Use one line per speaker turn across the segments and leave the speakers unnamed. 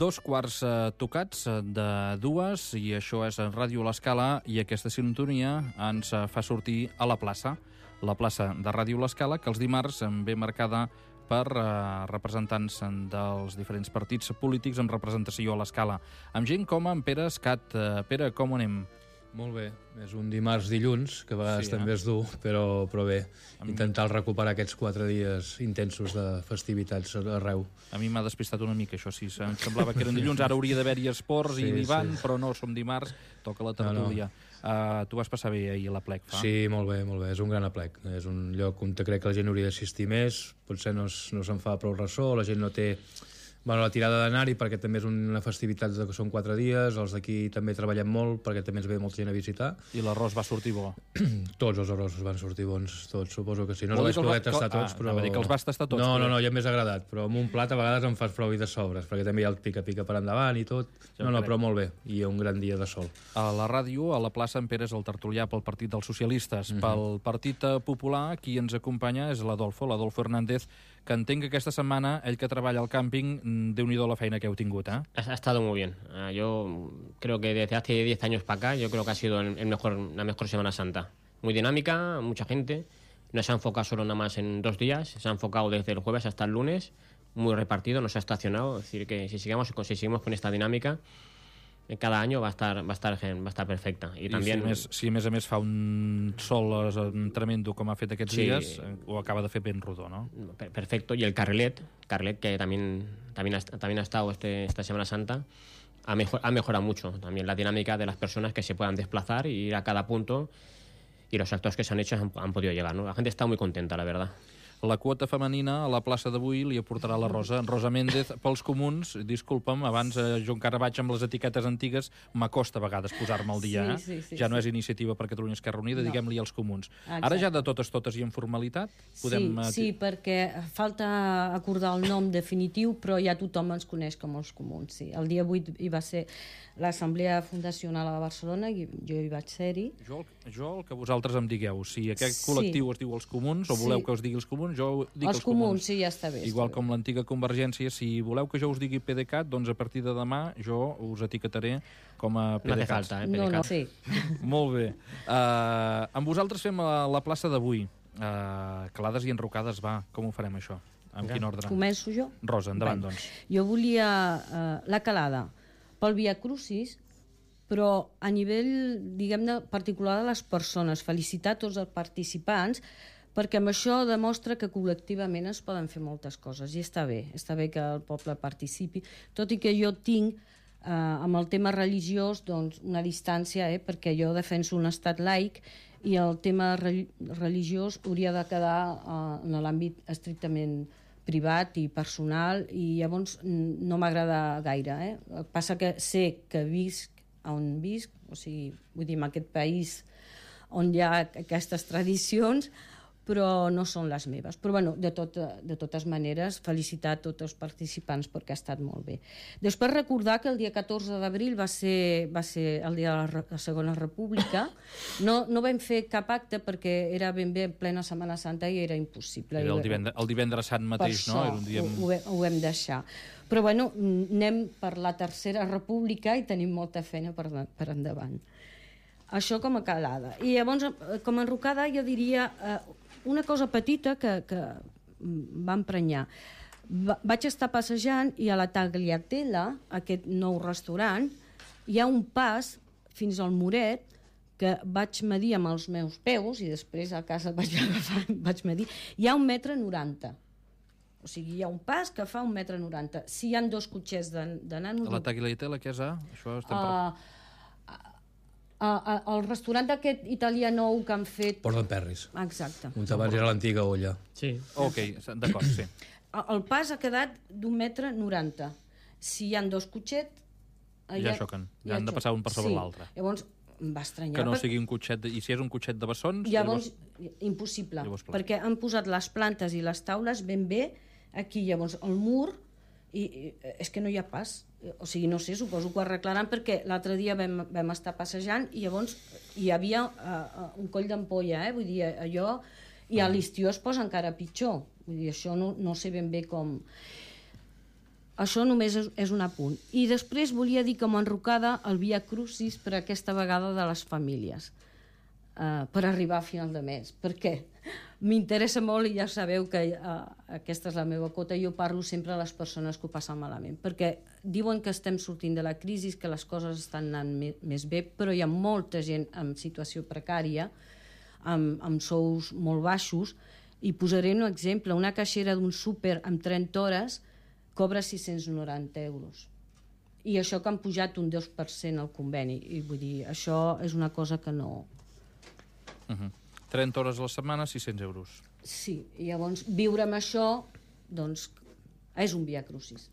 Dos quarts tocats de dues, i això és Ràdio L'Escala, i aquesta sintonia ens fa sortir a la plaça de Ràdio L'Escala, que els dimarts ve marcada per representants dels diferents partits polítics amb representació a l'Escala, amb gent com en Pere Escat. Pere, com ho anem?
Molt bé, és un dimarts-dilluns, que a vegades també és dur, però bé, intentar recuperar aquests 4 dies intensos de festivitats arreu.
A mi m'ha despistat una mica això, sí, em semblava que eren dilluns, ara hauria d'haver-hi esports i l'Ivan, però no, som dimarts, toca la tertúlia. Tu vas passar bé ahir a l'Aplec, fa?
Sí, molt bé, és un gran aplec, és un lloc on crec que la gent hauria d'assistir més, potser no se'n fa prou ressò, la gent no té... la tirada d'anar-hi, perquè també és una festivitat que són 4 dies, els d'aquí també treballem molt, perquè també ens ve molta gent a visitar.
I l'arròs va sortir bo?
Tots els arrossos van sortir bons, tots, suposo que sí. No els vaig poder tastar tots, però...
Anava a dir que els vas tastar tots.
No, ja m'és agradat, però amb un plat a vegades em fas prou i de sobres, perquè també hi ha el pica-pica per endavant i tot. Però molt bé, i un gran dia de sol.
A la ràdio, a la plaça, en Pere és el tertulià pel Partit dels Socialistes. Pel Partit Popular, qui ens acompanya és l'Adolfo Hernández, que entenc que aquesta setmana, ell que treballa al càmping, déu-n'hi-do la feina que heu tingut, ¿eh?
Ha estado muy bien. Yo creo que desde hace 10 años para acá, yo creo que ha sido la mejor Semana Santa. Muy dinámica, mucha gente. No se ha enfocado solo nada más en 2 días, se ha enfocado desde el jueves hasta el lunes, muy repartido, no se ha estacionado. Es decir, que si seguimos con esta dinámica, cada año va a estar perfecta. I també,
si a més a més fa un sol tremendo com ha fet aquests dies, ho acaba de fer ben rodó, ¿no?
Perfecto. Y el Carrilet que también ha estado esta Semana Santa, ha mejorado mucho también la dinámica de las personas que se puedan desplazar y ir a cada punto, y los actos que se han hecho han podido llegar, ¿no? La gente está muy contenta, la verdad.
La quota femenina a la plaça d'avui li aportarà la Rosa Méndez pels comuns. Disculpa'm, abans jo encara vaig amb les etiquetes antigues, m'acosta a vegades posar-me al dia.
Sí,
ja no és Iniciativa per Catalunya Esquerra Unida, diguem-li als comuns. Ara ja de totes i en formalitat podem...
Sí, perquè falta acordar el nom definitiu, però ja tothom ens coneix com els comuns. Sí. El dia 8 hi va ser l'Assemblea Fundacional a Barcelona, i jo hi vaig ser-hi.
Jo el que vosaltres em digueu, si aquest col·lectiu es diu els comuns, o voleu que us digui els comuns, jo dic els comuns.
Sí, ja està bé.
Igual com l'antiga Convergència, si voleu que jo us digui PDeCAT, doncs a partir de demà jo us etiquetaré com a PDeCAT.
No té falta, PDeCAT.
No, sí.
Molt bé. Amb vosaltres fem la plaça d'avui. Calades i enrocades, va. Com ho farem, això? En quin ordre?
Començo jo?
Rosa, endavant, doncs.
Jo volia la calada pel Via Crucis, però a nivell, diguem-ne, particular de les persones. Felicitar tots els participants, perquè amb això demostra que col·lectivament es poden fer moltes coses, i està bé que el poble participi, tot i que jo tinc amb el tema religiós doncs, una distància, perquè jo defenso un estat laic, i el tema religiós hauria de quedar en l'àmbit estrictament privat i personal, i llavors no m'agrada gaire. Passa que sé que visc on visc, o sigui, vull dir, en aquest país on hi ha aquestes tradicions, però no són les meves. Però bueno, de totes maneres, felicitar tots els participants perquè ha estat molt bé. Després recordar que el dia 14 d'abril va ser el dia de la Segona República. No vam fer cap acte perquè era ben bé en plena Setmana Santa i era impossible.
Era el divendres sant mateix, no?
Per això ho vam deixar. Però bueno, anem per la Tercera República i tenim molta feina per endavant. Això com a calada. I llavors, com a enrocada, jo diria una cosa petita que va emprenyar. Vaig estar passejant i a la Tagliatella, aquest nou restaurant, hi ha un pas fins al muret que vaig medir amb els meus peus, i després a casa vaig agafar, vaig medir, hi ha 1,90 m. O sigui, hi ha un pas que fa 1,90 m. Si hi ha 2 cotxets de nano...
A la Tagliatella, què és? Això estem
el restaurant aquest italià nou que han fet...
Port d'Emperris.
Exacte.
On abans era l'antiga olla.
Sí.
Ok, d'acord, sí.
El pas ha quedat d'1,90 m. Si hi ha 2 cotxets...
Ja xoquen. Ja han de passar un per sobre l'altre.
Llavors em va estranyar.
Que no sigui un cotxet... I si és un cotxet de bessons...
Llavors, impossible. Perquè han posat les plantes i les taules ben bé aquí. Llavors, el mur... I és que no hi ha pas, o sigui, no sé, suposo que ho arreglaran, perquè l'altre dia vam estar passejant i llavors hi havia un coll d'ampolla, vull dir, allò, i a l'estiu es posa encara pitjor, Vull dir, això no sé ben bé com... Això només és un apunt. I després volia dir com a enrocada el Via Crucis per aquesta vegada de les famílies, per arribar a final de mes. Per què? M'interessa molt, i ja sabeu que aquesta és la meva cota, jo parlo sempre a les persones que ho passen malament, perquè diuen que estem sortint de la crisi, que les coses estan anant més bé, però hi ha molta gent en situació precària, amb sous molt baixos, i posaré un exemple. Una caixera d'un súper amb 30 hores cobra 690 euros. I això que han pujat un 2% al conveni. I vull dir, això és una cosa que no...
30 hores a la setmana, 600 euros.
Sí, i llavors viure amb això, doncs, és un via crucis.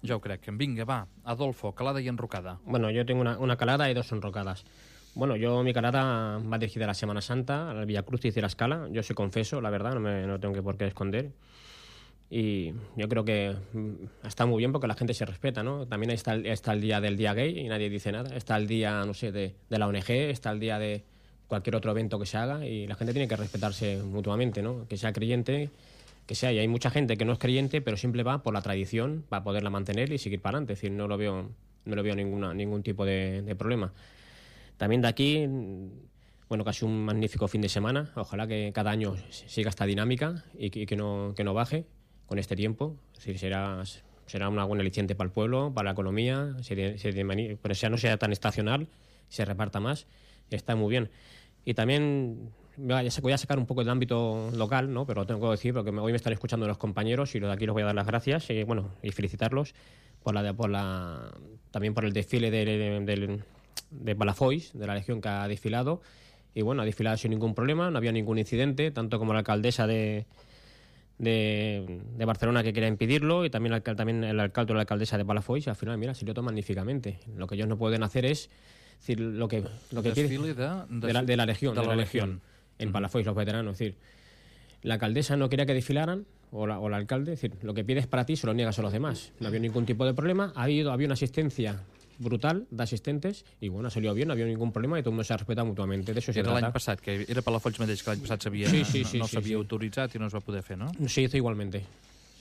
Ja ho crec. Vinga, va, Adolfo, calada y enrocada.
Bueno, yo tengo una calada y dos enrocadas. Bueno, mi calada va dirigida a la Semana Santa, al Via Crucis de la Escala. Yo soy confeso, la verdad, no tengo por qué esconder. Y yo creo que está muy bien porque la gente se respeta, ¿no? También está el día del día gay y nadie dice nada. Está el día, no sé, de la ONG, está el día de cualquier otro evento que se haga y la gente tiene que respetarse mutuamente, ¿no? Que sea creyente, que sea. Y hay mucha gente que no es creyente, pero siempre va por la tradición para poderla mantener y seguir para adelante. Es decir, no lo veo ningún tipo de problema. También de aquí, bueno, casi un magnífico fin de semana. Ojalá que cada año siga esta dinámica y que no baje con este tiempo. Es decir, será una buena aliciente para el pueblo, para la economía, pero no sea tan estacional, se reparta más, está muy bien. Y también voy a sacar un poco del ámbito local, ¿no? Pero lo tengo que decir porque hoy me están escuchando los compañeros y de aquí les voy a dar las gracias y felicitarlos también por el desfile de Palafolls, de la Legión que ha desfilado. Y bueno, ha desfilado sin ningún problema, no había ningún incidente, tanto como la alcaldesa de Barcelona que quería impedirlo y también el alcalde o la alcaldesa de Palafolls. Al final, mira, salió todo magníficamente. Lo que ellos no pueden hacer es decir lo que
desfile
de la Legión en Palafolls, los veteranos. Es decir, la alcaldesa no quería que desfilaran o el alcalde. Es decir, lo que pides para ti se lo niegas a los demás. No había ningún tipo de problema. Había una asistencia brutal de asistentes i bueno, salió bien, no havia ningún problema i tot el mundo se respeta mutuamente. De eso se trata.
Era l'any passat, que era Palafolls mateix, que l'any passat no s'havia autoritzat i no es va poder fer, ¿no?
Se hizo igualmente.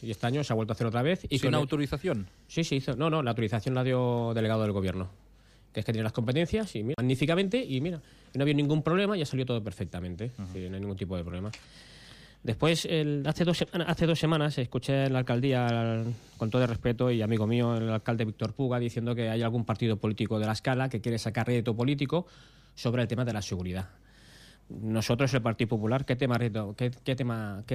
Y este año se ha vuelto a hacer otra vez. Y
¿Sin autorización?
Sí, se hizo. No, la autorización la dio el delegado del gobierno, que es que tiene las competencias y mira, magníficamente, y mira, no había ningún problema, ya salió todo perfectamente. Sí, no hay ningún tipo de problema. Después, hace dos semanas, escuché en la alcaldía, con todo el respeto y amigo mío, el alcalde Víctor Puga, diciendo que hay algún partido político de la Escala que quiere sacar rédito político sobre el tema de la seguridad. Nosotros, el Partido Popular, ¿qué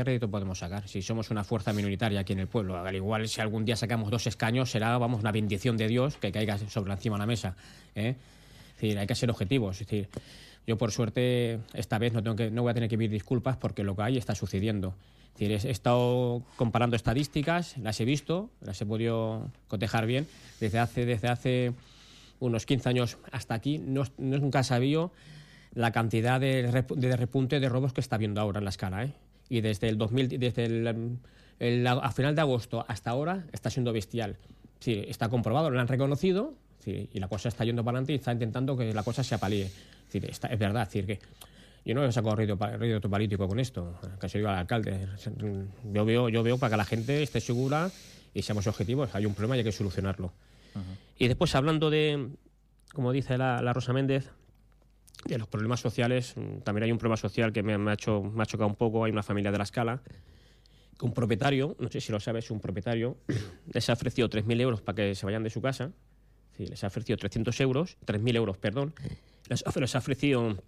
rédito podemos sacar? Si somos una fuerza minoritaria aquí en el pueblo, al igual si algún día sacamos 2 escaños, será, una bendición de Dios que caiga sobre encima de la mesa, ¿eh? Es decir, hay que ser objetivos. Es decir, yo por suerte esta vez no voy a tener que pedir disculpas porque lo que hay está sucediendo. Es decir, he estado comparando estadísticas, las he visto, las he podido cotejar bien. Desde hace unos 15 años hasta aquí nunca sabía la cantidad de repunte de robos que está habiendo ahora en la Escala, ¿eh? Y desde a final de agosto hasta ahora está siendo bestial. Sí, está comprobado, lo han reconocido, sí, y la cosa está yendo para adelante y está intentando que la cosa se apalíe. Es verdad, es decir, que yo no he sacado rédito político con esto, que se diga al alcalde. Yo veo para que la gente esté segura y seamos objetivos. Hay un problema y hay que solucionarlo. Y después, hablando de, como dice la Rosa Méndez, de los problemas sociales, también hay un problema social que me ha chocado un poco. Hay una familia de la Escala que un propietario, no sé si lo sabes, un propietario les ha ofrecido 3.000 euros para que se vayan de su casa. Sí, les ha ofrecido 3.000 euros, perdón. Les ha ofrecido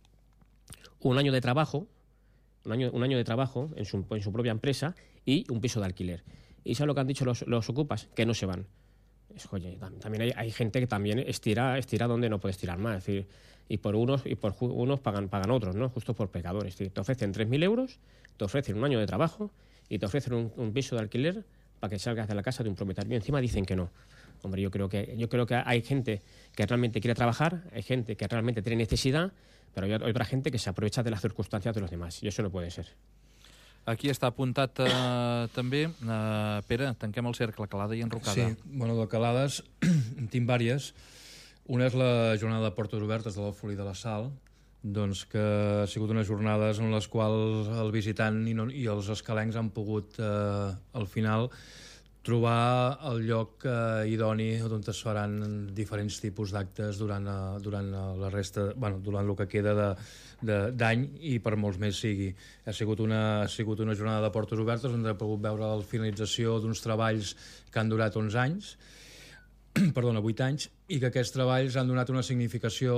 un año de trabajo, en su propia empresa y un piso de alquiler. ¿Y sabes lo que han dicho los ocupas? Que no se van. Oye, también hay gente que también estira donde no puede estirar más. Es decir, y por unos pagan otros, ¿no? Justo por pecadores. Es decir, te ofrecen 3.000 euros, te ofrecen un año de trabajo y te ofrecen un piso de alquiler para que salgas de la casa de un propietario. Y encima dicen que no. Hombre, yo creo que hay gente que realmente quiere trabajar, hay gente que realmente tiene necesidad, pero hay otra gente que se aprovecha de las circunstancias de los demás, i això no puede ser.
Aquí està apuntat també. Pere, tanquem el cercle, calada i enrocada.
Sí, bueno, de calades en tinc vàries. Una és la jornada de portes obertes de l'Alfolí de la Sal, doncs que ha sigut unes jornades en les quals el visitant i els escalencs han pogut al final trobar el lloc idoni on es faran diferents tipus d'actes durant la resta, durant el que queda d'any i per molts més sigui. Ha sigut una jornada de portes obertes on hem pogut veure la finalització d'uns treballs que han durat 11 anys, 8 anys, i que aquests treballs han donat una significació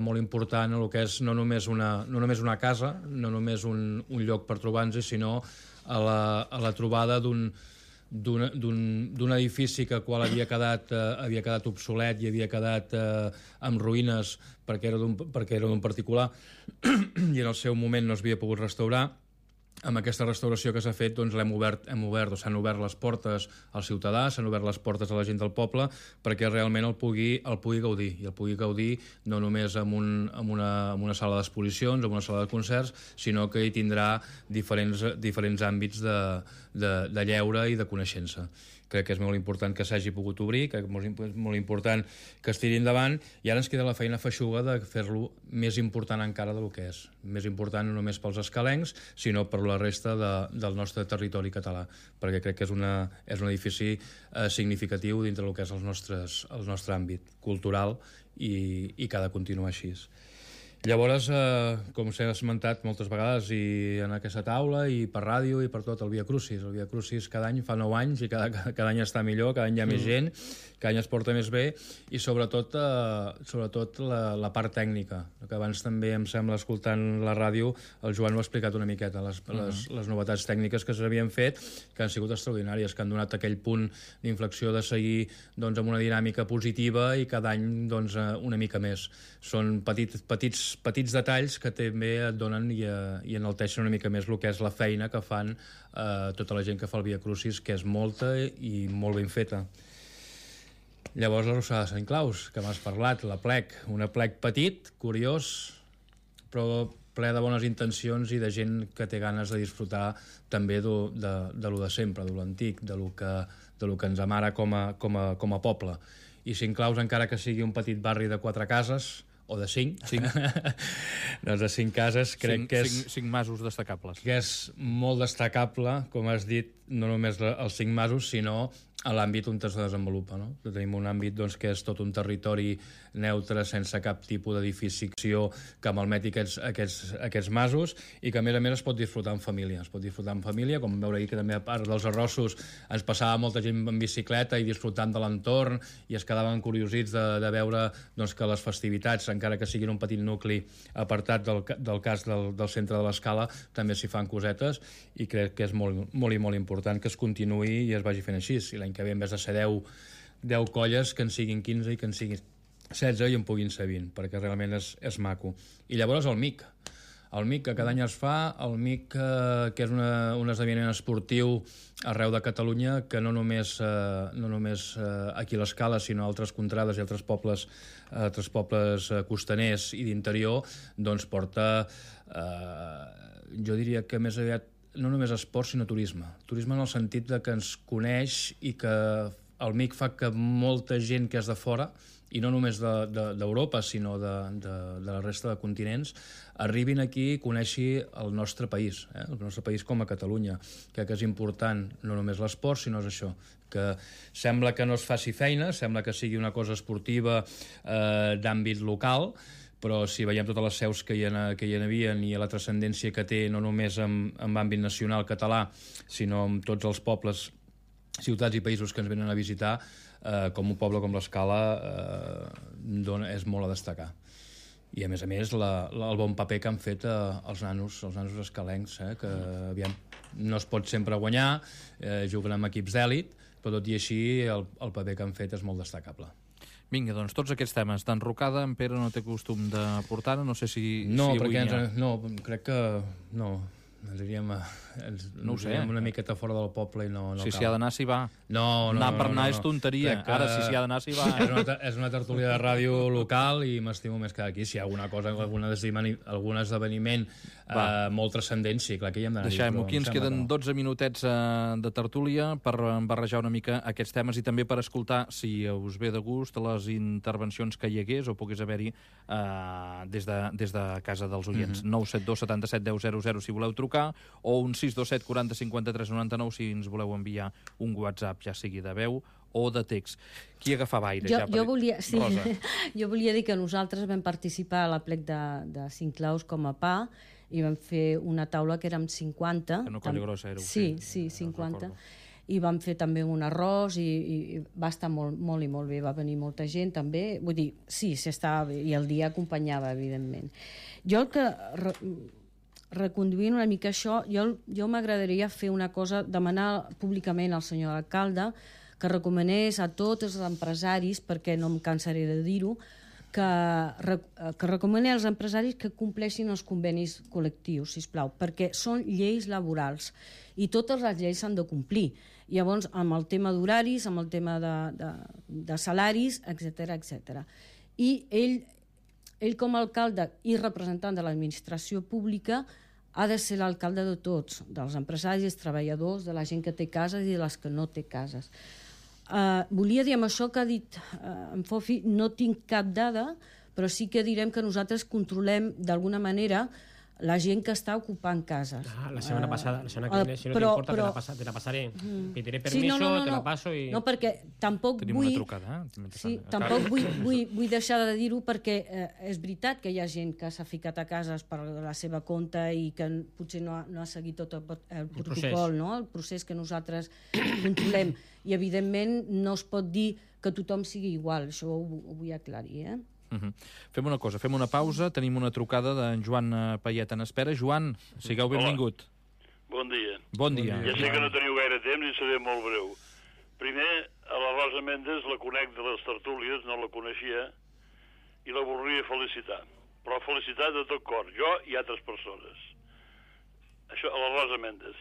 molt important a el que és no només una casa, no només un lloc per trobar-nos, sinó a la trobada d'un edifici que qual havia quedat obsolet i havia quedat amb ruïnes perquè era d'un particular i en el seu moment no s'havia pogut restaurar. Amb aquesta restauració que s'ha fet, doncs s'han obert les portes al ciutadà, s'han obert les portes a la gent del poble perquè realment el pugui gaudir, i el pugui gaudir no només amb una sala d'exposicions, amb una sala de concerts, sinó que hi tindrà diferents àmbits de lleure i de coneixença. Crec que és molt important que s'hagi pogut obrir, crec que és molt important que es tiri endavant, i ara ens queda la feina feixuga de fer-lo més important encara del que és. Més important no només pels escalencs, sinó per la resta del nostre territori català, perquè crec que és un edifici significatiu dintre del que és el nostre àmbit cultural i que ha de continuar així. Llavors, com s'ha esmentat moltes vegades i en aquesta taula i per ràdio i per tot, el Via Crucis. El Via Crucis cada any fa 9 anys i cada any està millor, cada any hi ha més gent, cada any es porta més bé, i sobretot la part tècnica, que abans també em sembla, escoltant la ràdio, el Joan ho ha explicat una miqueta, les novetats tècniques que s'havien fet, que han sigut extraordinàries, que han donat aquell punt d'inflexió de seguir amb una dinàmica positiva i cada any una mica més. Són petits detalls que també et donen i enalteixen una mica més el que és la feina que fan tota la gent que fa el Via Crucis, que és molta i molt ben feta. Llavors la Rossada de Sant Claus, que m'has parlat, la plec, un plec petit, curiós, però ple de bones intencions i de gent que té ganes de disfrutar també de lo de sempre, de lo antic, de lo que ens amara com a poble. I Sant Claus, encara que sigui un petit barri de 4 cases, o de 5. Doncs de 5 cases crec que és...
5 masos destacables.
Que és molt destacable, com has dit, no només els 5 masos, sinó a l'àmbit on es desenvolupa. No? Tenim un àmbit que és tot un territori neutre, sense cap tipus d'edificació que malmeti aquests masos, i que a més es pot disfrutar en família. Es pot disfrutar en família, com veure ahir que també a part dels arrossos ens passava molta gent en bicicleta i disfrutant de l'entorn, i es quedaven curiosits de veure que les festivitats, encara que siguin un petit nucli apartat del cas del centre de l'Escala, també s'hi fan cosetes, i crec que és molt, molt i molt important que es continuï i es vagi fent així. I l'any que ve, en vez de ser 10 colles, que en siguin 15 i que en siguin 16 i en puguin ser 20, perquè realment és maco. I llavors el MIC, que cada any es fa, el MIC, que és un esdeveniment esportiu arreu de Catalunya, que no només aquí a l'Escala, sinó a altres contrades i altres pobles costaners i d'interior, doncs porta, jo diria que més aviat no només esport, sinó turisme. Turisme en el sentit de que ens coneix i que el MIC fa que molta gent que és de fora, i no només d'Europa, sinó de la resta de continents, arribin aquí i coneixi el nostre país, el nostre país com a Catalunya. Crec que és important no només l'esport, sinó és això, que sembla que no es faci feina, sembla que sigui una cosa esportiva d'àmbit local, però si veiem totes les seus que hi havia i la transcendència que té no només en àmbit nacional català, sinó en tots els pobles, ciutats i països que ens venen a visitar, com un poble com l'Escala és molt a destacar. I a més el bon paper que han fet els nanos escalencs, que aviam, no es pot sempre guanyar, juguen amb equips d'èlit, però tot i així el paper que han fet és molt destacable.
Vinga, doncs tots aquests temes d'enrocada, en Pere no té costum de portar, no sé si
no,
avui
perquè no, crec que no.
No ho sé.
Aniríem una miqueta fora del poble i no
Si
cal.
s'hi ha d'anar, s'hi va.
No,
Anar per anar és tonteria.
Crec que
Ara, si s'hi ha d'anar, s'hi va.
És una tertúlia de ràdio local i m'estimo més que aquí. Si hi ha alguna cosa, algun esdeveniment molt transcendent, sí, clar que hi hem d'anar.
Deixem-ho aquí, ens queden 12 minutets de tertúlia per barrejar una mica aquests temes i també per escoltar, si us ve de gust, les intervencions que hi hagués o pogués haver-hi des de casa dels oients. 972 77 10 00 si voleu trucar, o un 627 40 53 99 si ens voleu enviar un WhatsApp, ja sigui de veu o de text. Qui agafava aire?
Jo volia dir que nosaltres vam participar a l'aplec de Cinclaus com a PA i vam fer una taula que érem 50.
Que no Colla Grossa éreu.
Sí, 50. I vam fer també un arròs i va estar molt i molt bé, va venir molta gent també, vull dir, sí, s'estava bé, i el dia acompanyava, evidentment. Jo el que, reconduint una mica això, jo m'agradaria fer una cosa, demanar públicament al senyor alcalde que recomanés a tots els empresaris, perquè no em cansaré de dir-ho, que recomani als empresaris que compleixin els convenis col·lectius, sisplau, perquè són lleis laborals i totes les lleis s'han de complir. Llavors, amb el tema d'horaris, amb el tema de salaris, etc. I ell com a alcalde i representant de l'administració pública ha de ser l'alcalde de tots, dels empresaris, dels treballadors, de la gent que té cases i de les que no té cases. Volia dir amb això que ha dit en Fofi, no tinc cap dada, però sí que direm que nosaltres controlem d'alguna manera la gent que està ocupant cases.
La setmana passada, la setmana que viene, si no t'importa, te la pasaré. Pediré permiso, te la paso i...
No, perquè tampoc
Tenim una trucada,
Sí, tampoc vull deixar de dir-ho perquè és veritat que hi ha gent que s'ha ficat a cases per la seva compte i que potser no ha seguit tot el protocol, no? El procés que nosaltres controlem. I, evidentment, no es pot dir que tothom sigui igual. Això ho vull aclarir,
Fem una cosa, fem una pausa, tenim una trucada d'en Joan Payet en espera. Joan, sigueu benvingut.
Bon dia.
Bon dia.
Ja sé que no teniu gaire temps i seré molt breu. Primer, a la Rosa Méndez la conec de les tertúlies, no la coneixia, i la voldria felicitar. Però felicitar de tot cor, jo i altres persones. Això, a la Rosa Méndez.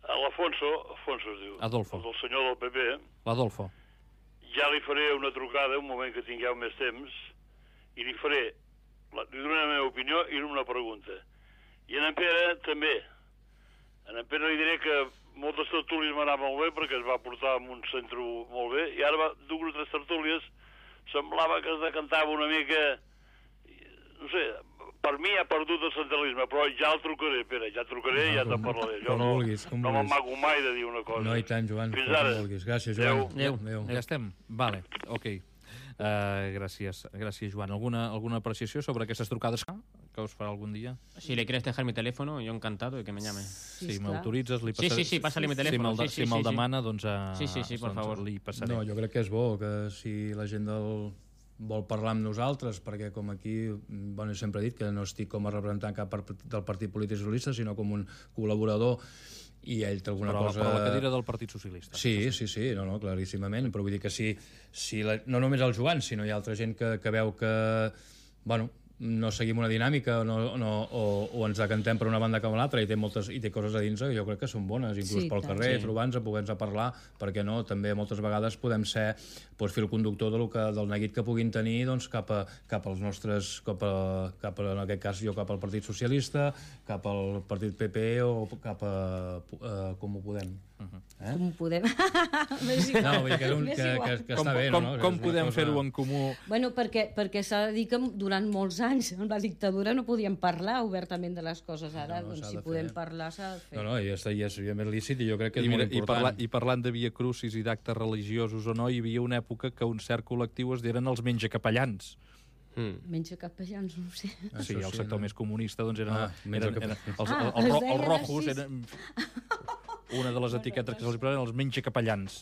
A l'Alfonso es diu.
Adolfo.
El senyor del PP.
L'Adolfo.
Ja li faré una trucada un moment que tingueu més temps i li donaré la meva opinió i una pregunta. I en Pere també. En Pere li diré que moltes tertúlies m'anava molt bé perquè es va portar en un centre molt bé i ara dues o tres tertúlies semblava que es decantava una mica, no sé, per mi ha perdut el centralisme, però ja el trucaré, Pere, ja trucaré i ja te'n parlaré. Jo no m'amago mai de dir una cosa.
No, i tant, Joan.
Fins ara.
Gràcies, Joan.
Adéu. Ja estem? Vale, ok. Gràcies, Joan. ¿Alguna apreciació sobre aquestes trucades que us farà algun dia?
Si le quieres dejar mi teléfono, yo encantado de que me llame.
Si m'autoritzes, li passaré...
Sí, pásale mi teléfono.
Si me'l demana, doncs...
Sí, por favor.
Li passaré.
No, jo crec que és bo que si la gent vol parlar amb nosaltres, perquè com aquí, bueno, sempre he dit que no estic com a representant cap del Partit Polític Socialista, sinó com un col·laborador, i ell té alguna cosa...
Però la cadira del Partit Socialista.
Sí, no, claríssimament, però vull dir que no només el Joan, sinó hi ha altra gent que veu que, bueno, no seguim una dinàmica o ens decantem per una banda com l'altra i té coses a dins que jo crec que són bones, inclús pel carrer, trobar-nos, poder-nos parlar, perquè no, també moltes vegades podem ser fil conductor del neguit que puguin tenir cap als nostres, en aquest cas jo cap al Partit Socialista, cap al Partit PP o cap a Com ho Podem.
Com ho podem?
No, vull dir que està bé, no?
Com podem fer-ho en comú?
Bueno, perquè s'ha de dir que durant molts anys en la dictadura no podíem parlar obertament de les coses. Ara, doncs, si podem parlar, s'ha de fer.
No, i és més lícit i jo crec que és molt important.
I parlant de Via Crucis i d'actes religiosos o no, hi havia una època que un cert col·lectiu es diren els menjacapellans.
Menjacapellans, no ho sé.
Sí, el sector més comunista, doncs els
deien
rojos
així.
eren... Una de les etiquetes que se'ls posen els menjacapellans.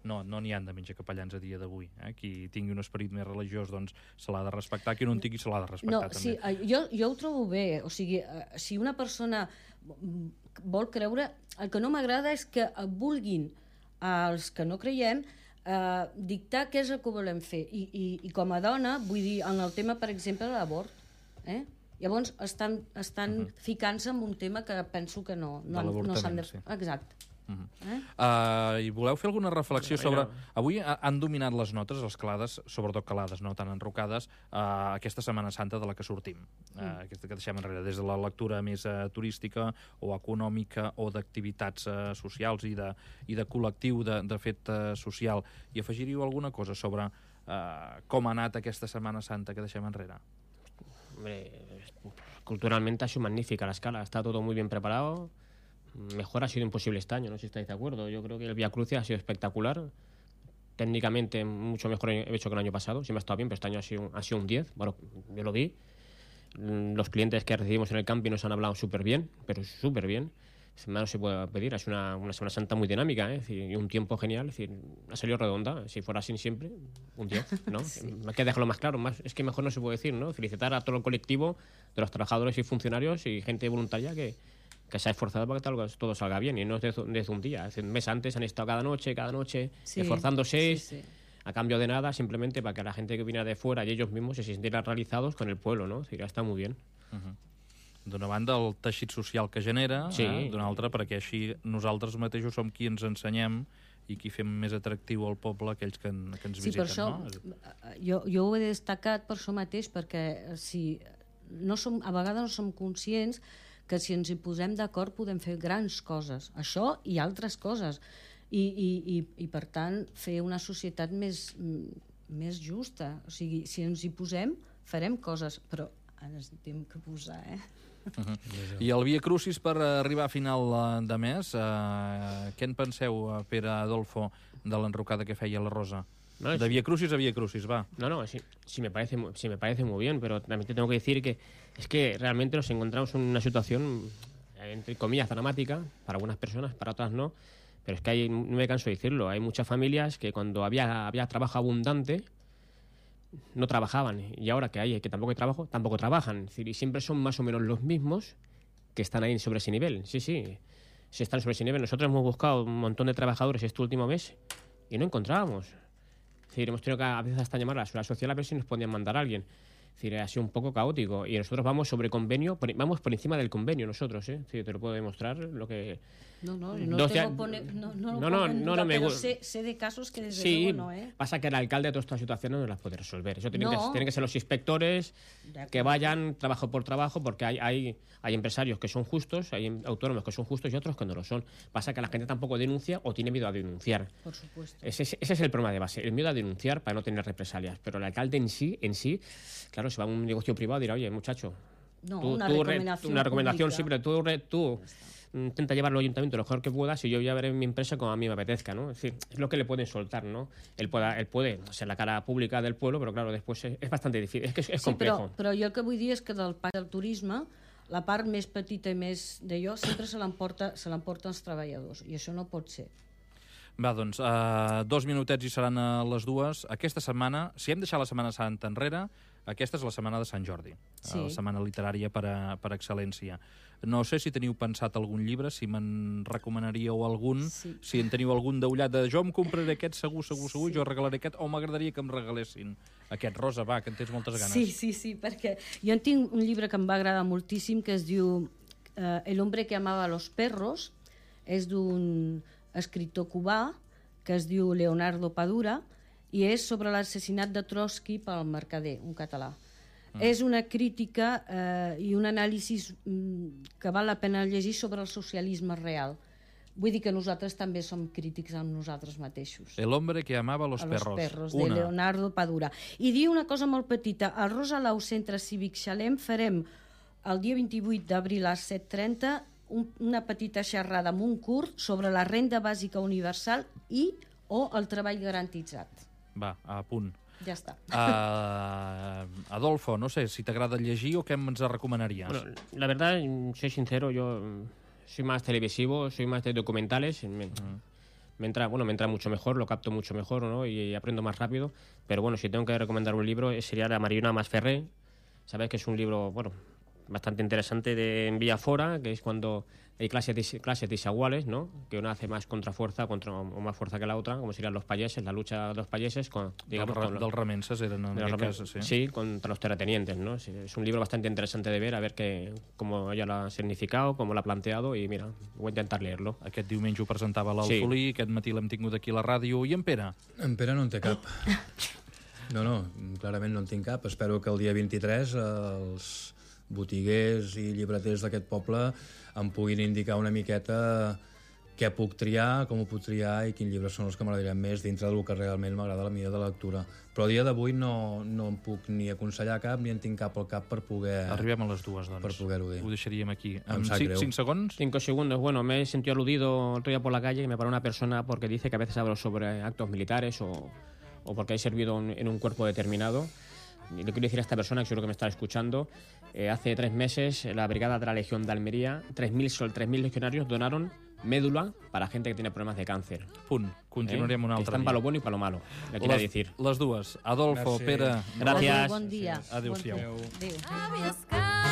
No n'hi han de menjacapellans a dia d'avui. Qui tingui un esperit més religiós doncs se l'ha de respectar, qui no en tingui se l'ha de respectar també.
Sí, jo ho trobo bé. O sigui, si una persona vol creure... El que no m'agrada és que vulguin els que no creiem dictar què és el que volem fer. I com a dona, vull dir, en el tema, per exemple, de l'abort, Llavors estan ficant-se en un tema que penso que no s'han de...
sí.
Exacte.
I voleu fer alguna reflexió sobre... Avui han dominat les notes, les calades, sobretot calades, no tan enrocades, aquesta Setmana Santa de la que sortim, aquesta que deixem enrere, des de la lectura més turística o econòmica o d'activitats socials i de col·lectiu de fet social. I afegiríeu alguna cosa sobre com ha anat aquesta Setmana Santa que deixem enrere?
Hombre, culturalmente ha sido magnífica la escala, está todo muy bien preparado. Mejor ha sido imposible este año, no sé si estáis de acuerdo. Yo creo que el Vía Crucis ha sido espectacular. Técnicamente mucho mejor hecho que el año pasado. Siempre ha estado bien, pero este año ha sido un 10. Bueno, yo lo vi. Los clientes que recibimos en el camping nos han hablado súper bien, pero súper bien. No se puede pedir. Es una Semana Santa muy dinámica, y un tiempo genial. Es decir, ha salido redonda. Si fuera así siempre, un 10, ¿no? Sí. Hay que dejarlo más claro. Es que mejor no se puede decir, ¿no? Felicitar a todo el colectivo de los trabajadores y funcionarios y gente voluntaria que se ha esforzado para que todo salga bien, y no es desde un día. Un mes antes han estado cada noche esforzándose a cambio de nada, simplemente para que la gente que viene de fuera y ellos mismos se sintieran realizados con el pueblo, ¿no? O sigui, està molt bien.
D'una banda, el teixit social que genera, d'una altra, perquè així nosaltres mateixos som qui ens ensenyem i qui fem més atractiu al poble aquells que ens visiten.
Per això, no? Jo ho he destacat per això mateix, perquè a vegades no som conscients que si ens hi posem d'acord podem fer grans coses, això i altres coses, i per tant fer una societat més justa. O sigui, si ens hi posem farem coses, però ens hem que posar,
I el Via Crucis per arribar a final de mes, què en penseu, Pere Adolfo, de l'enrocada que feia la Rosa?
No,
de Via Crucis a Via Crucis, va.
No, sí me parece muy bien, pero también te tengo que decir que es que realmente nos encontramos en una situación, entre comillas, dramática, para algunas personas, para otras no, pero es que no me canso de decirlo, hay muchas familias que cuando había trabajo abundante no trabajaban, y ahora que tampoco hay trabajo, tampoco trabajan. Es decir, y siempre son más o menos los mismos que están ahí sobre ese nivel. Sí, están sobre ese nivel. Nosotros hemos buscado un montón de trabajadores este último mes y no encontrábamos. Es decir, hemos tenido que a veces hasta llamar a la Seguridad Social a ver si nos podían mandar a alguien. Es decir, ha sido un poco caótico. Y nosotros vamos sobre convenio, vamos por encima del convenio nosotros, Es decir, te lo puedo demostrar lo que...
No me gusta. Sé de casos que desde luego no,
Pasa que el alcalde de todas estas situaciones no las puede resolver. Eso tienen que ser los inspectores que vayan trabajo por trabajo, porque hay empresarios que son justos, hay autónomos que son justos y otros que no lo son. Pasa que la gente tampoco denuncia o tiene miedo a denunciar.
Por supuesto.
Ese es el problema de base, el miedo a denunciar para no tener represalias. Pero el alcalde en sí, claro, se va a un negocio privado y dirá, oye, muchacho, una recomendación siempre, tú intenta llevarlo al ayuntamiento lo mejor que puedas y yo voy a ver en mi empresa como a mí me apetezca, ¿no? Es decir, es lo que le pueden soltar, ¿no? Él puede ser la cara pública del pueblo, però claro, després és bastante difícil, és complejo.
Però jo el que vull dir és que del pacte del turisme, la part més petita i més d'allò sempre se l'emporten els treballadors, i això no pot ser.
Va, doncs, 2 minutets i seran a les 2. Aquesta setmana, si hem deixat la Setmana Santa enrere, aquesta és la setmana de Sant Jordi, la setmana literària per excel·lència. No sé si teniu pensat algun llibre, si me'n recomanaríeu algun, si en teniu algun daullat de jo em compraré aquest segur, jo regalaré aquest, o m'agradaria que em regalessin aquest. Rosa, va, que en tens moltes ganes.
Sí, perquè jo en tinc un llibre que em va agradar moltíssim, que es diu El hombre que amaba a los perros, és d'un escriptor cubà que es diu Leonardo Padura, i és sobre l'assassinat de Trotsky pel Mercader, un català. És una crítica i un anàlisi que val la pena llegir sobre el socialisme real. Vull dir que nosaltres també som crítics amb nosaltres mateixos.
El hombre que amaba a los perros,
de Leonardo Padura. I diu una cosa molt petita. Al Rosalau Centre Cívic Xalem farem el dia 28 d'abril a les 7:30 una petita xerrada amb un curt sobre la renda bàsica universal o el treball garantitzat.
Va, a punt.
Ja està.
Adolfo, no sé si t'agrada llegir o què ens recomanaries.
Bueno, la verdad, soy sincero, yo soy más televisivo, soy más de documentales. Me entra mucho mejor, lo capto mucho mejor, ¿no? Y aprendo más rápido. Pero bueno, si tengo que recomendar un libro, sería La Mariona Masferrer. Sabes que es un libro, bueno, bastante interesante en Villafora, que es cuando hay clases desiguales, ¿no? Que una hace más contrafuerza o más fuerza que la otra, como serían los payeses, la lucha de los payeses
dels remenses eren en aquest cas, sí.
Sí, contra los terratenientes, ¿no? Sí, es un libro bastante interesante de ver, a ver cómo ella lo ha significado, cómo lo ha planteado, y mira, voy a intentar leerlo.
Aquest diumenge ho presentava l'Alfolí, aquest matí l'hem tingut aquí a la ràdio. I en Pere?
En Pere no en té cap. No, clarament no en tinc cap. Espero que el dia 23 els botiguers i llibreters d'aquest poble em puguin indicar una miqueta què puc triar, com ho puc triar i quins llibres són els que m'agradaran més dintre del que realment m'agrada la mida de lectura. Però a dia d'avui no em puc ni aconsellar cap ni en tinc cap al cap per poder...
Arribem a les dues, doncs.
Per poder-ho dir.
Ho deixaríem aquí.
Em sap greu.
5 segundos.
5 segundos. Bueno, me he sentido aludido el otro día por la calle y me paró una persona porque dice que a veces hablo sobre actos militares o porque he servido en un cuerpo determinado. Y le quiero decir a esta persona, que seguro que me está escuchando, hace 3 meses la Brigada de la Legión de Almería, 3.000 legionarios donaron médula para gente que tiene problemas de càncer.
Punt. Continuarem un altre
Están
dia.
para lo bueno y para lo malo, le quiero decir.
Les dues. Adolfo,
Gràcies.
Pere...
Gràcies.
Bon dia.
Adéu-siau.
Adéu.